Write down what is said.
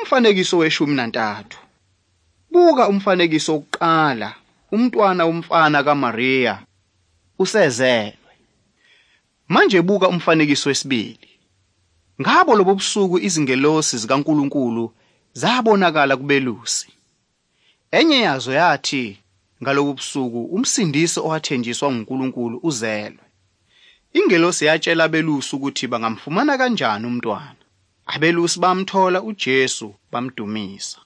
Umfanekiso we-13. Buka umfanekiso wokuqala, umntwana womfana kaMariya usezelwe. Manje buka umfanekiso wesibili. Ngabo lobo busuku izingelosi zikaNkulunkulu zabonakala kubelusi. Enye yazo yathi ngalobu busuku uMsindisi owathenjiswa nguNkulunkulu uzelwe. Ingelosi yatshela abelusi ukuthi bangamfumana kanjani umntwana. Abelusi bamthola uJesu bamdumisa.